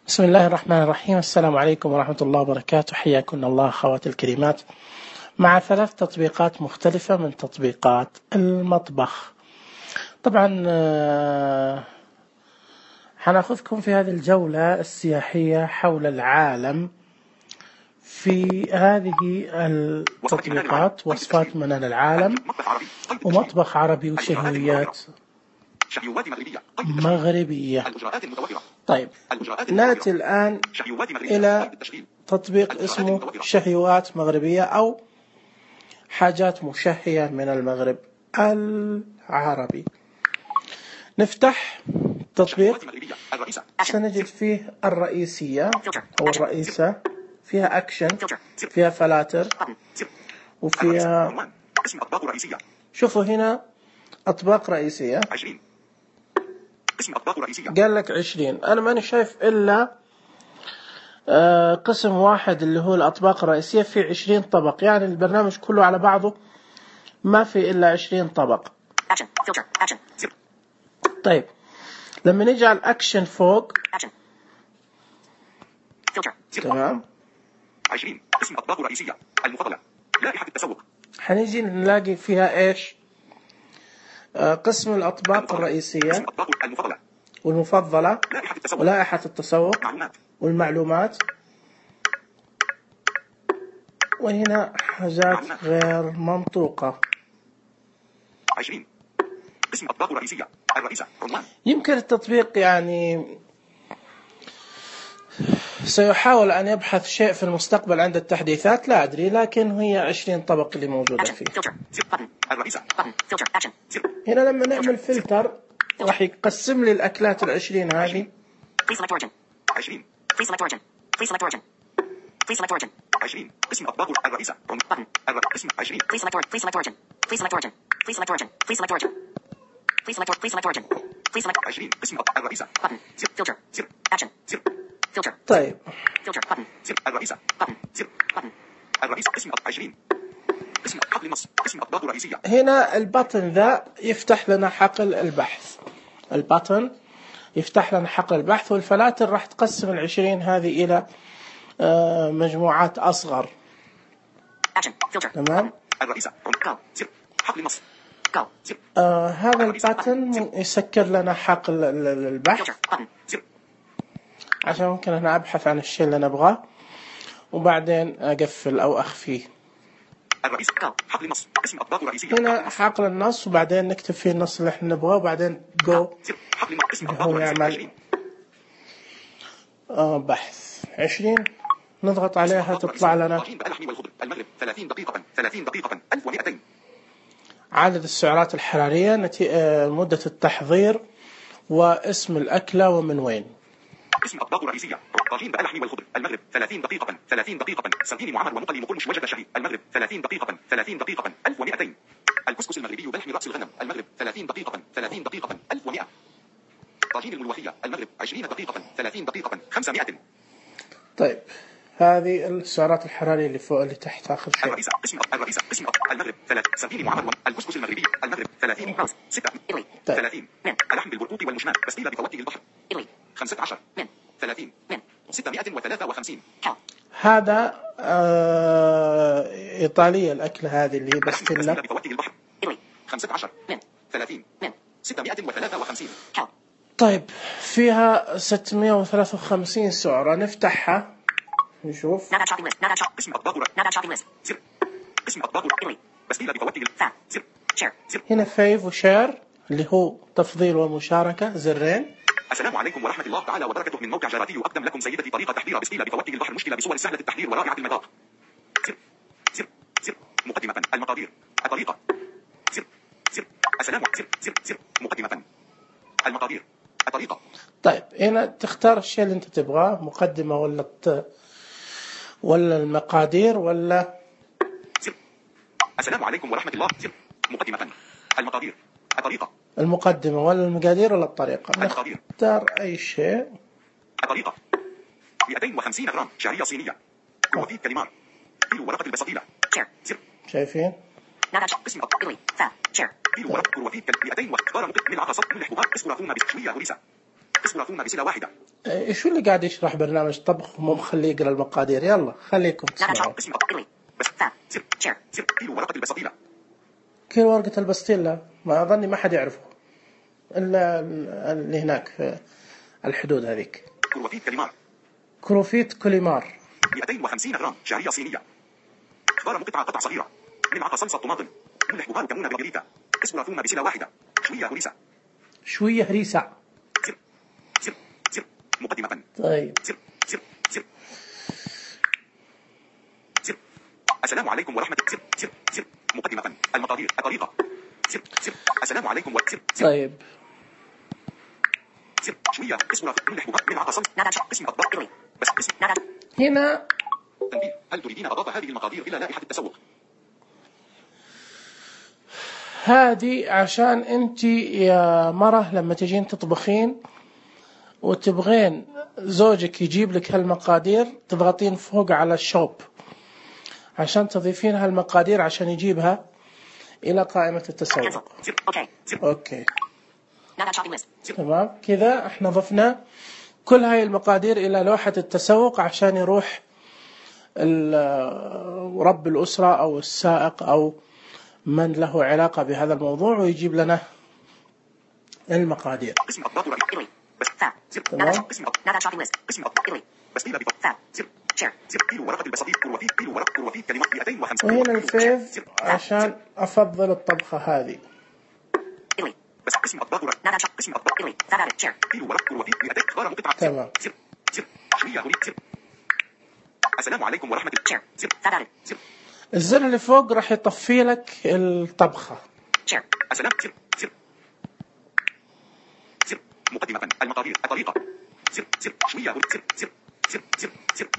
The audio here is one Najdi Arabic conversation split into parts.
بسم الله الرحمن الرحيم. السلام عليكم ورحمة الله وبركاته. حياكم الله أخواتي الكريمات مع 3 تطبيقات مختلفة من تطبيقات المطبخ. طبعا حناخذكم في هذه الجولة السياحية حول العالم في هذه التطبيقات، وصفات منال العالم ومطبخ عربي وشهيات مغربية. طيب نأتي الآن إلى تطبيق اسمه شهيوات مغربية أو حاجات مشهية من المغرب العربي. نفتح تطبيق، سنجد فيه الرئيسية أو الرئيسة، فيها أكشن، فيها فلاتر، وفيها شوفوا هنا أطباق رئيسية. قال لك 20. أنا ماني شايف إلا قسم واحد اللي هو الأطباق الرئيسية، في 20 طبق، يعني البرنامج كله على بعضه ما في إلا 20 طبق. طيب لما نيجي على الأكشن فوق، تمام، 20 اسم أطباق رئيسية المفضلة، لائحة التسوق، حنيجي نلاقي فيها إيش؟ قسم الأطباق الرئيسية والمفضلة ولائحة التسوق والمعلومات، وهنا حاجات غير منطوقة. 20 اسم أطباق رئيسية الرئيسة عنوان. يمكن التطبيق يعني سيحاول أن يبحث شيء في المستقبل عند التحديثات، لا أدري، لكن هي 20 طبق اللي موجودة فيه. هنا لما نعمل فلتر راح يقسم لي الأكلات 20 هذه. 20 20 اسم أطباق الرئيسة اسم 20 20 اسم الرئيسة. طيب الرئيسة الرئيسة اسم 20 اسم حقل نص اسم أطباق رئيسية. هنا البطن ذا يفتح لنا حقل البحث، البطن يفتح لنا حقل البحث، والفلاتر راح تقسم 20 هذه إلى مجموعات أصغر. تمام. الرئيسة حقل نص. هذا الباتن يسكر لنا حقل البحث عشان ممكن أنا أبحث عن الشيء اللي نبغاه وبعدين أقفل أو أخفيه. الرئيسة حقل نص اسم أطباق رئيسية. هنا حقل النص وبعدين نكتب فيه النص اللي احنا نبغاه وبعدين جو هو يعمل بحث. 20 نضغط عليها تطلع لنا المغرب 30 دقيقة 1200. عدد السعرات الحرارية، مدة التحضير، واسم الأكلة ومن وين. اسم أطباق رئيسية طاجين باللحم والخضر المغرب 30 دقيقة سردين معمر ومقلي مقرمش وجد شهي المغرب 30 دقيقة 1200. الكسكس المغربي بلحم رأس الغنم المغرب 30 دقيقة 1100. طاجين الملوخية المغرب 20 دقيقة 30 دقيقة 500. طيب هذه السعرات الحرارية اللي فوق اللي تحت آخر شيء. الرئيسة اسم المغرب 3 سردين معمر الكسكس المغربي المغرب 30 6 30 اللحم بالبرقوق والمشمات بسطيلة بفواكه البحر 15 30 653. هذا إيطالية الأكلة هذه اللي هي بستيلا بفواكه البحر 15 30 653. طيب فيها 653 سعرة، نفتحها نشوف. اسم أطباق اسم أطباق بسطيلة بفواكه هنا فيف وشير اللي هو تفضيل ومشاركة، زرين. السلام عليكم ورحمة الله تعالى وبركاته. من موقع جراتي أقدم لكم سيدتي طريقة تحضير بسطيلة بفواكه البحر مشكلة بصور سهلة التحضير ورائعة المذاق. مقدمة المقادير الطريقة السلام مقدمة المقادير الطريقة. طيب هنا تختار الشيء اللي انت تبغاه، مقدمة ولا المقادير ولا. السلام عليكم ورحمة الله. مقدمة المقادير الطريقة. المقدمة ولا المقادير ولا الطريقة. المقادير. نختار أي شيء. الطريقة 250 غرام شعرية صينية، كروفيت كاليمار، كيلو ورقة البسطيلة. شايفين؟ اسم كيلو ورقة كروفيت 200 واختار ملح بهار اسكولا ثوم بشوية هريسة. اسم رافون بسلة واحدة. شو اللي قاعد يشرح برنامج طبخ ومو مخليه يقرا المقادير؟ يلا خليكم تسمعوا. اسم كيلو ورقة البسطيلة. كيلو ورقة البسطيلة ما أظني ما حد يعرفه إلا اللي هناك في الحدود هذيك. كروفيت كليمار. كروفيت كوليمار 250 جرام شعرية صينية. خضار مقطعة قطع صغيرة. ملعقة صلصة طماطم. ملح بهار كمون بابريكا. اسم رافون بسلة واحدة. شوية هريسة. شوية هريسة. مقدمة. طيب. السلام عليكم ورحمة. مقدمة. المقادير. الطريقة. السلام عليكم طيب. شوية اسم رافون ملح بهار ملعقة صلصة. اسم أطباق. بس اسم. هنا تنبيه. هل تريدين إضافة هذه المقادير إلى لائحة التسوق؟ هذه عشان انت يا مرة لما تجين تطبخين وتبغين زوجك يجيب لك هالمقادير تضغطين فوق على الشوب عشان تضيفين هالمقادير عشان يجيبها إلى قائمة التسوق. اوكي تمام كذا احنا ضفنا كل هاي المقادير إلى لوحة التسوق عشان يروح رب الأسرة أو السائق أو من له علاقة بهذا الموضوع ويجيب لنا المقادير. تمام. وهنا الفيف عشان أفضل الطبخة هذه. تمام. السلام عليكم ورحمة الله. الزر اللي فوق راح يطفي لك الطبخة. السلام. مقدمة. المقادير. الطريقة. شوية.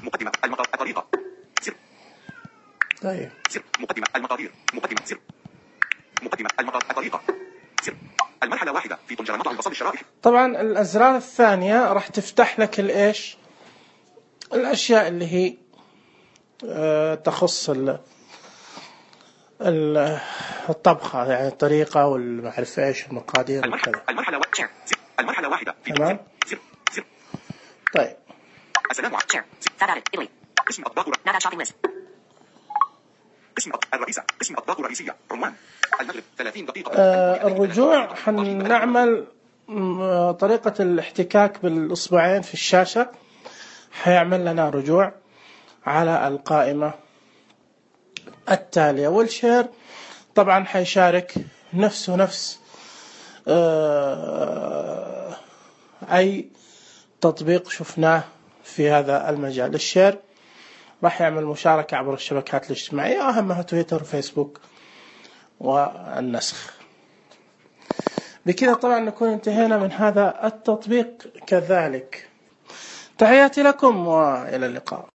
مقدمة. الطريقة. طيب. مقدمة. المقادير. مقدمة. الطريقة. المرحلة واحدة في طنجرة مطعم البصل الشرائح. طبعا الأزرار الثانية راح تفتح لك الإيش الأشياء اللي هي تخص الطبخة يعني الطريقة والمعرفة إيش المقادير وكذا. المرحلة واحدة في تمام. طيب. السلام عليكم. اسم أطباق اسم الرئيسة. اسم أطباق رئيسية. عنوان المغرب 30 دقيقة. الرجوع حنعمل طريقة الاحتكاك بالإصبعين في الشاشة حيعمل لنا رجوع على القائمة التالية. والشير طبعا حيشارك نفس أي تطبيق شفناه في هذا المجال. الشير راح يعمل مشاركة عبر الشبكات الاجتماعية أهمها تويتر وفيسبوك والنسخ. بكذا طبعا نكون انتهينا من هذا التطبيق كذلك. تحياتي لكم وإلى اللقاء.